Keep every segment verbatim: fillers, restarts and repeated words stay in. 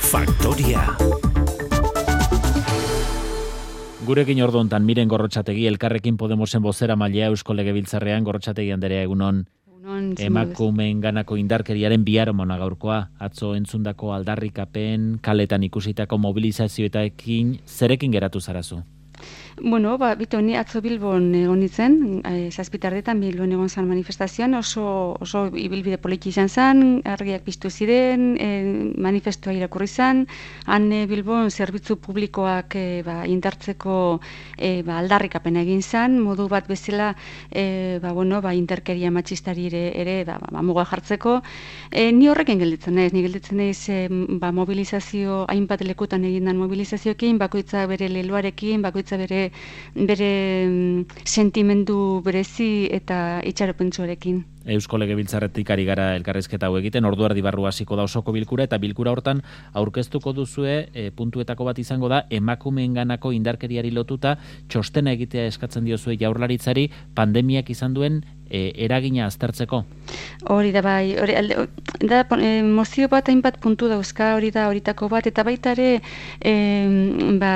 Faktoria. Gurekin ordu hontan Miren Gorrotxategi, Elkarrekin Podemosen bozeramailea Eusko Legebiltzarrean. Gorrotxategi anderea, egunon. Emakumeen ganako indarkeriaren biharamona gaurkoa, atzo entzundako aldarrikapen, kaletan ikusitako mobilizazioetekin zerekin geratu zarazu? Bueno, ba, bito, ni atzo Bilbon egon nintzen, e, zazpitardetan Bilbon egon zan manifestazioan, oso, oso ibilbide poliki izan zen, argiak piztu ziren, e, manifestua irakurri zen, han e, Bilbon zerbitzu publikoak e, ba, indartzeko e, ba, aldarrikapen egin zen, modu bat bezala e, ba, bueno, ba, interkeria matxistari ere, ere ba, ba, muga jartzeko. E, ni horrekin gelditzen naiz, ni gelditzen naiz e, ba, mobilizazio, hainbat lekutan egindan mobilizazioekin, bakoitza bere leloarekin, bakoitza bere bere sentimendu berezi eta itxaropentsuarekin. Eusko Legebiltzarretik ari gara elkarrizketa hau egiten, ordu erdi barru hasiko da osoko bilkura, eta bilkura hortan aurkeztuko duzue, e, puntuetako bat izango da, emakumeenganako indarkeriari lotuta txostena egitea eskatzen diozue Jaurlaritzari pandemiak izan duen e, eragina aztertzeko. Hori da bai, hori, da, e, mozio bat hainbat puntu dauzka, hori da horitako bat, eta baita ere e, ba,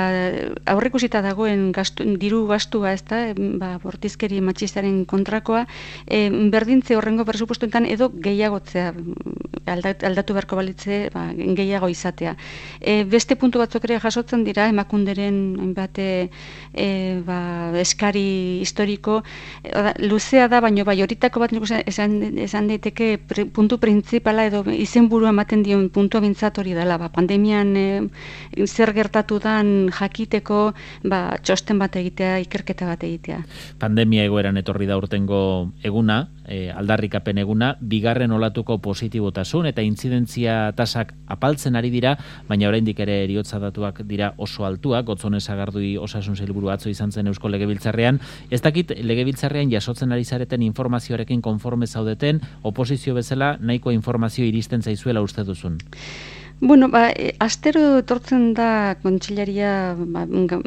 aurreikusita dagoen gastu, diru gastua, ez da, ba, bortizkeri matxistaren kontrakoa, e, berdintze horrengo presupuestoetan edo gehiagotzea, aldatu beharko balitze, ba, gehiago izatea. E, beste puntu batzuk ere jasotzen dira, emakunderen hainbat e, ba, eskari historiko, e, luzea da, baino bai, horitako bat esan, esan daiteke pre, puntu printzipala edo izenburua ematen dion puntua bintzat hori dela, ba, pandemian e, zer gertatu dan jakiteko ba, txosten bat egitea, ikerketa bat egitea. Pandemia egoeran etorri da urtengo eguna, e, aldarrikapen eguna, bigarren olatuko positibotasun eta intzidentzia tasak apaltzen ari dira, baina oraindik ere heriotza datuak dira oso altuak. Gotzone Sagardui osasun sailburu atzo izan zen Eusko Legebiltzarrean. Ez dakit Legebiltzarrean jasotzen ari zareten informazioarekin konforme zaudeten, oposizio bezala nahiko informazio iristen zaizuela uste duzun? Bueno, ba, e, astero etortzen da kontsilaria ba,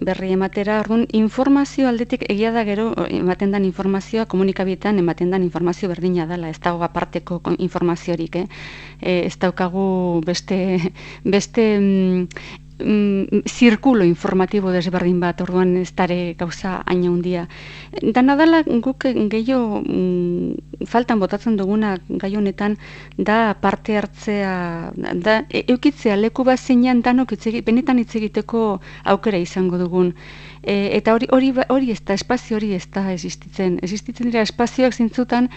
berri ematera, orduan informazio aldetik egia da gero ematen dan informazioa komunikabietan ematen dan informazio berdina dela, ez dago aparteko informaziorik, eh? E, ez daukagu beste beste mm, Mm, zirkulo informatibo desberdin bat, orduan ez dare gauza haina hundia. Dana dela guk gehiago mm, faltan botatzen duguna gai honetan da parte hartzea, da eukitzea leku bat zeinan danok itzegi, benetan hitz egiteko aukera izango dugun. E, eta hori, hori, hori ez da, espazio hori ez da existitzen. Existitzen dira espazioak zintzutan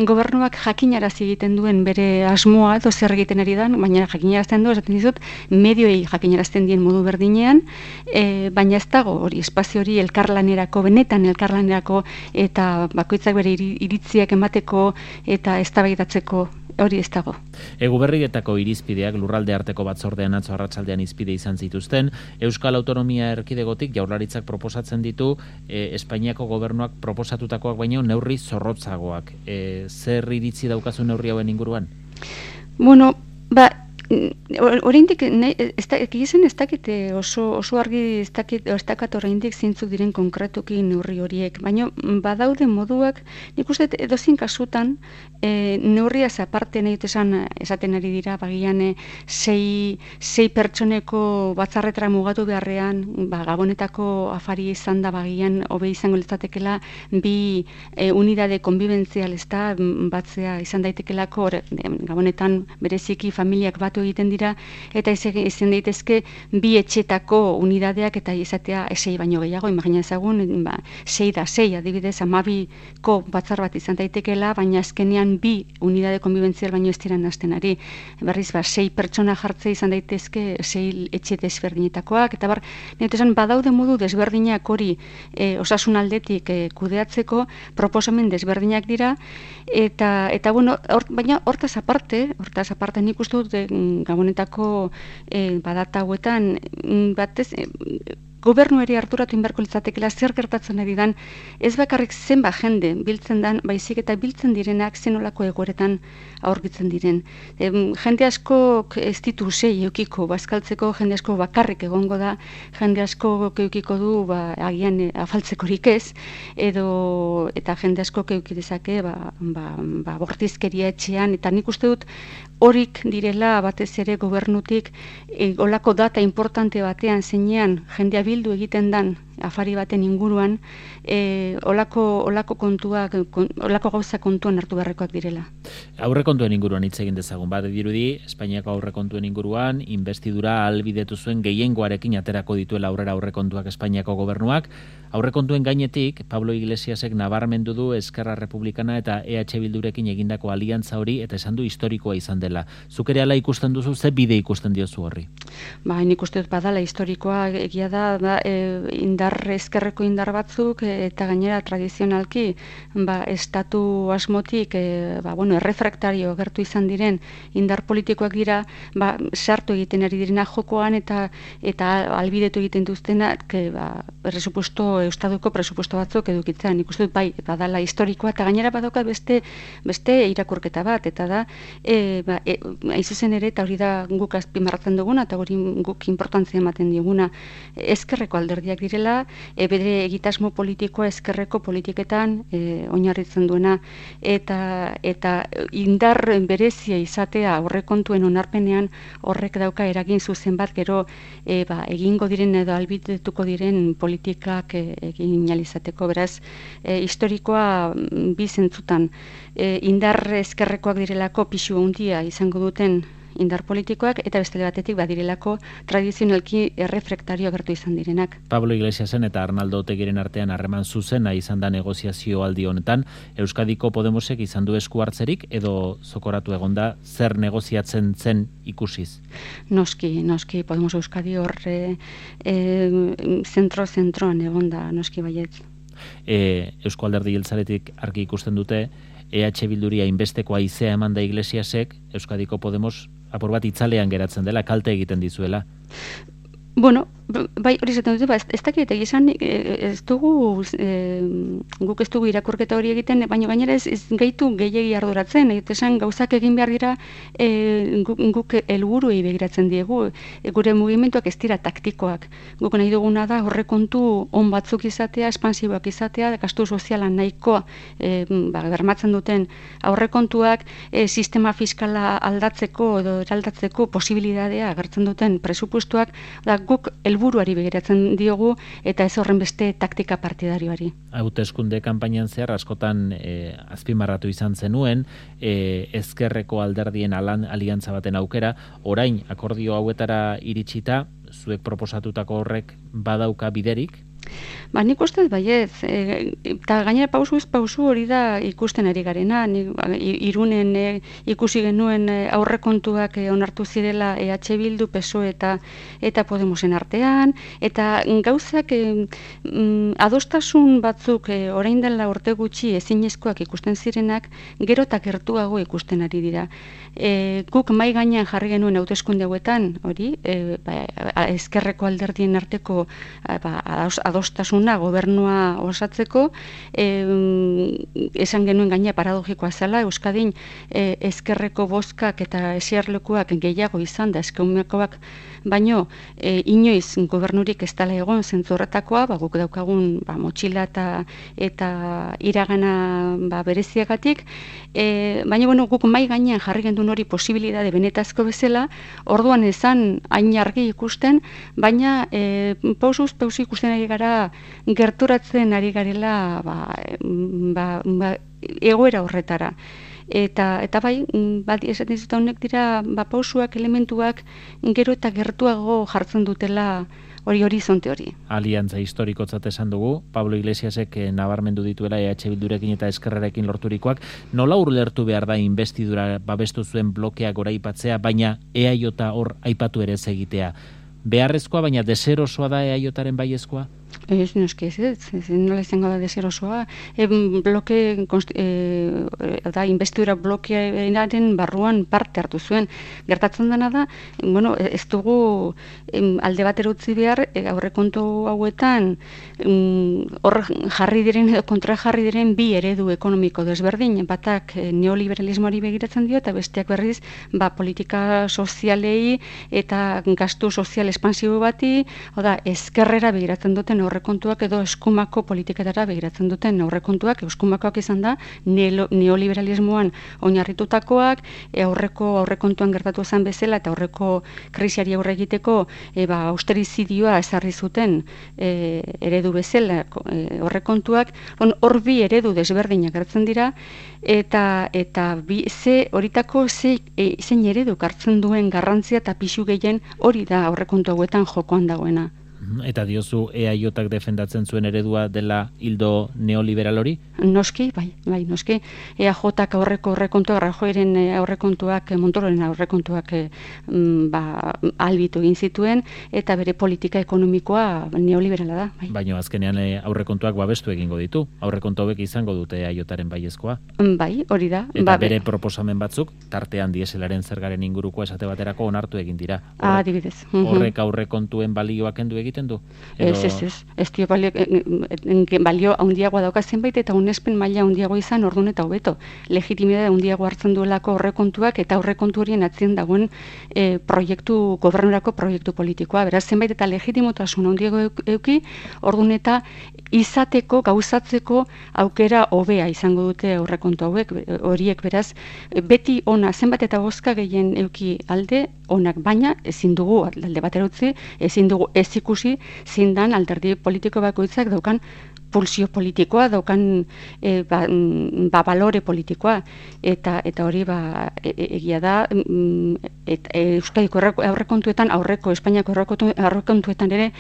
gobernuak jakinarazi egiten duen bere asmoa edo zer egiten ari dan, baina jakinarazten du, esaten dizut, medioei jakinarazten dien modu berdinean, e, baina ez dago hori espazio hori elkarlanerako, benetan elkarlanerako eta bakoitzak bere iritziak emateko eta eztabaidatzeko hori ez dago. Egu berrietako irizpideak lurralde arteko batzordean atzo arratsaldean izpide izan zituzten. Euskal Autonomia Erkidegotik Jaurlaritzak proposatzen ditu e, Espainiako gobernuak proposatutakoak baino neurri zorrotzagoak. E, zer iritzi daukazu neurri hauen inguruan? Bueno, ba, oraindik egiten ez dakite oso, oso argi ez dakit, ez dakat oraindik zeintzuk diren konkretuki neurri horiek, baina badaude moduak, nik uste edozin kasutan e, neurriaz aparte nahi esan esaten ari dira, bagian e, sei, sei pertsoneko batzarretara mugatu beharrean, ba, gabonetako afari izan da bagian hobe izango litzatekela bi e, unidade konbibentzial ez da batzea izan daitekelako, gabonetan bereziki familiak batu egiten dira, eta izan daitezke bi etxetako unidadeak eta izatea sei baino gehiago, imagina ezagun, ba, sei da sei, adibidez, amabiko batzar bat izan daitekela, baina azkenean bi unidade konbibentzial baino ez diran hasten ari. Berriz, ba, sei pertsona jartzea izan daitezke sei etxe desberdinetakoak, eta bar, netesan badaude modu desberdinak hori e, osasun aldetik e, kudeatzeko proposamen desberdinak dira, eta, eta bueno, or, baina hortaz aparte, hortaz aparte nik uste dut e, gabonetako e, badata hauetan batez e, gobernuari harturatu inberko litzatekela zer gertatzen ari dan, ez bakarrik zenba jende biltzen dan, baizik eta biltzen direnak zenolako egoeretan aurkitzen diren. E, jende asko ez ditu sei eukiko bazkaltzeko, jende asko bakarrik egongo da, jende asko eukiko du ba, agian e, afaltzekorik ez, edo eta jende asko euki dezake ba, ba, ba, bortizkeria etxean, eta nik uste dut horik direla batez ere gobernutik e, olako data importante batean zeinean jendea bildu egiten dan afari baten inguruan, e, olako, olako kontuak, kon, olako gauza kontuan hartu beharrekoak direla. Aurrekontuen inguruan hitz egin dezagun, bat dirudi, Espainiako aurrekontuen inguruan, investidura ahalbidetu zuen gehiengoarekin aterako dituela aurrera aurrekontuak Espainiako gobernuak. Aurrekontuen gainetik, Pablo Iglesiasek nabarmendu du Eskerra Republikana eta E H Bildurekin egindako aliantza hori, eta esan du historikoa izan dela. Zuk ere hala ikusten duzu, ze bide ikusten diozu horri? Ba, nik uste dut badala historikoa, egia da, ba, e, indar, ezkerreko indar batzuk, e, eta gainera tradizionalki, ba, estatu asmotik, e, ba, bueno, errefraktario gertu izan diren indar politikoak dira, ba, sartu egiten ari direna jokoan, eta eta albidetu egiten duztenak, que, ba, presupuesto, eustaduko presupuesto batzuk edukitzen. Nik uste dut, bai, badala historikoa, eta gainera badauka beste, beste irakurketa bat, eta da, e, ba, e, aizuzen ere, eta hori da guk azpimarratzen duguna, eta hori guk importantzia ematen diguna, ezkerreko alderdiak direla, e, bere egitasmo politikoa ezkerreko politiketan e, oinarritzen duena, eta eta indar berezia izatea aurrekontuen onarpenean horrek dauka eragin zuzen bat gero e, ba, egingo diren edo albidetuko diren politikak e, egin alizateko, beraz e, historikoa bi zentzutan e, indar ezkerrekoak direlako pisu handia izango duten indar politikoak, eta bestele batetik badirelako tradizionalki errefraktario gertu izan direnak. Pablo Iglesiasen eta Arnaldo Otegiren artean harreman zuzena izan da negoziazio aldi honetan. Euskadiko Podemosek izan du esku hartzerik edo zokoratu egonda zer negoziatzen zen ikusiz? Noski, noski, Podemos Euskadi horre e, zentro-zentroan egonda, noski baietz. E, Eusko Alderdi Jeltzaletik argi ikusten dute, E H Bilduria inbesteko haizea eman da Iglesiasek, Euskadiko Podemos apur bat itzalean geratzen dela, kalte egiten dizuela. Bueno, bai, hori zaten dute, ba, ez, ez dakit, egizan, ez dugu, e, guk ez dugu irakurketa hori egiten, baina gainera ez, ez gaitu gehiagi arduratzen, esan gauzak egin behar dira e, guk, guk helburuei begiratzen diegu, e, gure mugimenduak ez dira taktikoak. Guk nahi duguna da horrekontu on batzuk izatea, espansiboak izatea, gastu sozialan nahikoa e, ba, bermatzen duten aurrekontuak, e, sistema fiskala aldatzeko edo eraldatzeko posibilitatea agertzen duten presupuestuak, da guk helburuari begiratzen diogu eta ez horren beste taktika partidarioari. Hauteskunde kanpainan zehar askotan e, azpimarratu izan zenuen, e, ezkerreko alderdien alan, aliantza baten aukera, orain akordio hauetara iritsita, zuek proposatutako horrek badauka biderik? Ba, nik ustez baiez, e, eta gainera pausu ez pausu hori da ikusten ari garena, nik, Irunen e, ikusi genuen e, aurrekontuak e, onartu zirela E H Bildu, P S O E eta, eta Podemosen artean, eta gauzak e, mm, adostasun batzuk e, orain dela urte gutxi ezinezkoak ikusten zirenak, gero eta gertuago ikusten ari dira. E, guk mai gainean jarri genuen hauteskunde hauetan, hori, e, ba, ezkerreko alderdien arteko ba, adostasuna gobernua osatzeko, e, esan genuen gaina paradogikoa zela, Euskadin e, ezkerreko bozkak eta esiarlekuak gehiago izan da eskeumekoak, baino e, inoiz gobernurik ez dela egon zentzorretakoa, ba, guk daukagun ba, motxila eta, eta iragana ba, bereziagatik, e, baina bueno, guk mai gainean jarri gendun hori posibilitate benetazko bezala, orduan ezan hain argi ikusten, baina e, pausuz pausu ikusten ari gara gerturatzen ari garela ba, ba, ba, egoera horretara. Eta, eta bai, bat esaten dizut honek dira ba, pausuak, elementuak gero eta gertuago jartzen dutela hori horizonte hori. Aliantza historikotzat esan dugu, Pablo Iglesiasek nabarmendu dituela E H Bildurekin eta Eskerrarekin lorturikoak, nola urlertu behar da investidura babestu zuen blokeak goraipatzea, baina E A J hor aipatu ere ez egitea. Beharrezkoa, baina deserosoa da E A Jaren baiezkoa? Ez, noski ez, ez, ez, nola izango da deserosoa. E, bloke, e, da, investidura blokearen barruan parte hartu zuen. Gertatzen dena da, bueno, ez dugu em, alde batera utzi behar, e, aurrekontu hauetan, em, hor jarri diren edo kontra jarri diren bi eredu ekonomiko desberdin, batak e, neoliberalismoari begiratzen dio, eta besteak berriz, ba, politika sozialei eta gastu sozial espansibo bati, oda, ezkerrera begiratzen duten aurrekontuak edo eskumako politiketara begiratzen duten aurrekontuak, eskumakoak izan da, neoliberalismoan oinarritutakoak, e, aurreko aurrekontuan gertatu zen bezala, eta aurreko krisiari aurre egiteko e, ba, austerizidioa ezarri zuten e, eredu bezala e, aurrekontuak, hor bi eredu desberdinak gertzen dira, eta eta bi, ze horitako ze, e, zein eredu hartzen duen garrantzia eta pisu gehien hori da aurrekontu hauetan jokoan dagoena. Eta diozu E A J-ak defendatzen zuen eredua dela hildo neoliberal hori? Noski, bai, bai, noski. E A J-ak aurreko aurrekontuak, Rajoyren aurrekontuak, Montororen aurrekontuak mm, ba, albitu egin zituen, eta bere politika ekonomikoa neoliberala da. Bai. Baina azkenean aurrekontuak babestu egingo ditu. Aurrekontu hauek izango dute E A J-aren baiezkoa. Bai, hori da. Eta ba, bere proposamen batzuk, tartean dieselaren zergaren inguruko esate baterako onartu egin dira. Horrek, adibidez. Horrek aurrekontuen balioak kendu egiten du? Ez, ez, ez. Ez dio balio, balio handiagoa dauka zenbait eta unespen maila handiagoa izan ordun eta hobeto. Legitimidade handiagoa hartzen duelako aurrekontuak eta aurrekontu horien atzien dagoen e, proiektu, gobernurako proiektu politikoa. Beraz, zenbait eta legitimotasun handiago euki, ordun eta izateko, gauzatzeko aukera hobea izango dute aurrekontu hauek, horiek beraz, beti ona, zenbat eta bozka gehien euki alde, onak, baina ezin dugu alde batera utzi, ezin dugu ez ikusi zindan alderdi politiko bakoitzak daukan pulsio politikoa, daukan e, ba, ba, balore politikoa, eta eta hori ba, e, egia da, et, e, Euskadiko aurrekontuetan, aurreko Espainiako aurrekontuetan ere,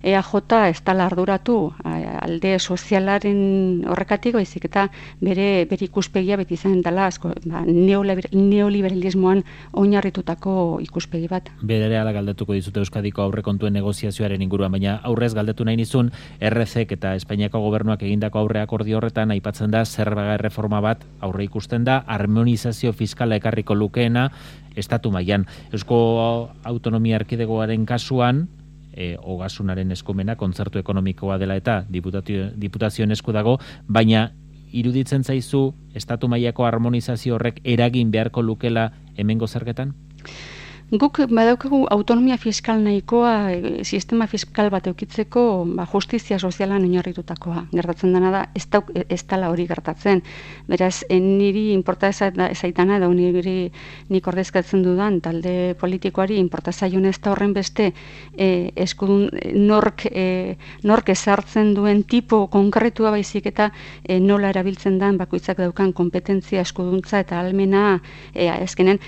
E A J ez dela arduratu alde sozialaren horrekatik, baizik eta bere, bere ikuspegia beti izan dela asko, ba, neoliberalismoan oinarritutako ikuspegi bat. Bere ala galdetuko dizute Euskadiko aurrekontuen negoziazioaren inguruan, baina aurrez galdetu nahi nizun, R C ek eta Espainiako gobernuak egindako aurre akordio horretan aipatzen da zerga erreforma bat aurre ikusten da, harmonizazio fiskala ekarriko lukeena estatu mailan. Eusko Autonomia Erkidegoaren kasuan, E, ogasunaren eskumena, kontzertu ekonomikoa dela eta diputazioen esku dago, baina iruditzen zaizu estatu mailako harmonizazio horrek eragin beharko lukela hemengo zergetan? Guk badaukagu autonomia fiskal nahikoa, e, sistema fiskal bat eukitzeko ba, justizia sozialan oinarritutakoa. Gertatzen dena da, ez, dauk, ez dala hori gertatzen. Beraz, niri inporta ezaitana, edo niri nik ordezkatzen dudan talde politikoari inporta zaion ez da horren beste e, eskudun, nork, e, nork ezartzen duen tipo konkretua baizik eta e, nola erabiltzen den bakoitzak daukan kompetentzia, eskuduntza eta almena e, ezkenen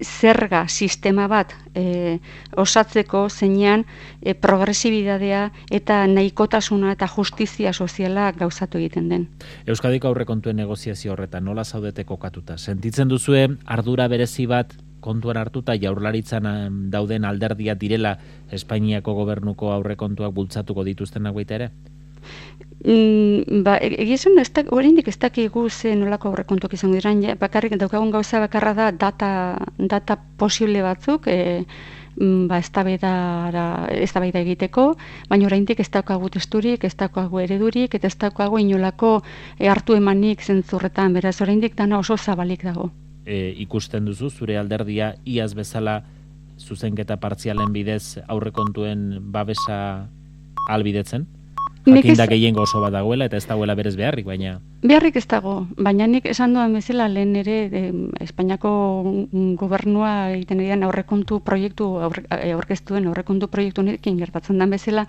zerga sistema bat e, osatzeko zeinean e, progresibidadea eta nahikotasuna eta justizia soziala gauzatu egiten den. Euskadiko aurrekontuen negoziazio horretan nola zaudete kokatuta? Sentitzen duzue ardura berezi bat kontuan hartuta Jaurlaritzan dauden alderdia direla Espainiako gobernuko aurrekontuak bultzatuko dituztenak baita ere? Mm, ba, egizun, oraindik ez dakigu ze nolako aurrekontuak izango diran, ja, bakarrik daukagun gauza bakarra da data, data posible batzuk, e, ba, eztabaida egiteko, baina oraindik ez daukagu testurik, ez daukagu eredurik, eta ez daukagu inolako e, hartu emanik zentzurretan, beraz oraindik dana oso zabalik dago. E, ikusten duzu, zure alderdia iaz bezala zuzenketa partzialen bidez aurrekontuen babesa albidetzen? Jakinda gehiengo oso bat dagoela eta ez dagoela berez beharrik, baina... Beharrik ez dago, baina nik esan duan bezala lehen ere eh, Espainiako gobernua egiten edian aurrekontu proiektu, aurkeztuen aurrekontu proiektu nekin gertatzen den bezala,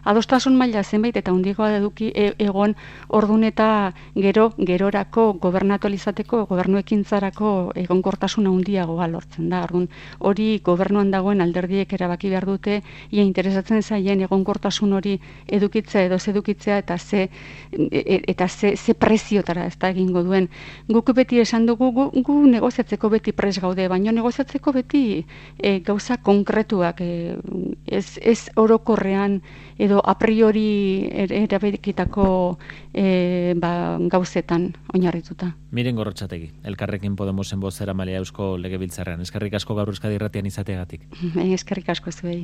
adostasun maila zenbait eta hundigoa eduki e, egon ordun eta gero, gerorako gobernatualizateko, gobernuekintzarako egonkortasun handiagoa lortzen da. Ordun hori gobernuan dagoen alderdiek erabaki behar dute, ia interesatzen zaien egonkortasun hori edukitzea edo edukitzea eta ze e, eta ze, ze preziotara ez da egingo duen. Guk beti esan dugu, gu, gu negoziatzeko beti pres gaude, baina negoziatzeko beti e, gauza konkretuak, e, ez, ez orokorrean edo a priori erabekitako e, ba, gauzetan oinarrituta. Miren Gorrotxategi, Elkarrekin Podemosen bozera malea Eusko Legebiltzarrean. Eskerrik asko gaur Euskadi Irratian izateagatik. Eskerrik asko zuei.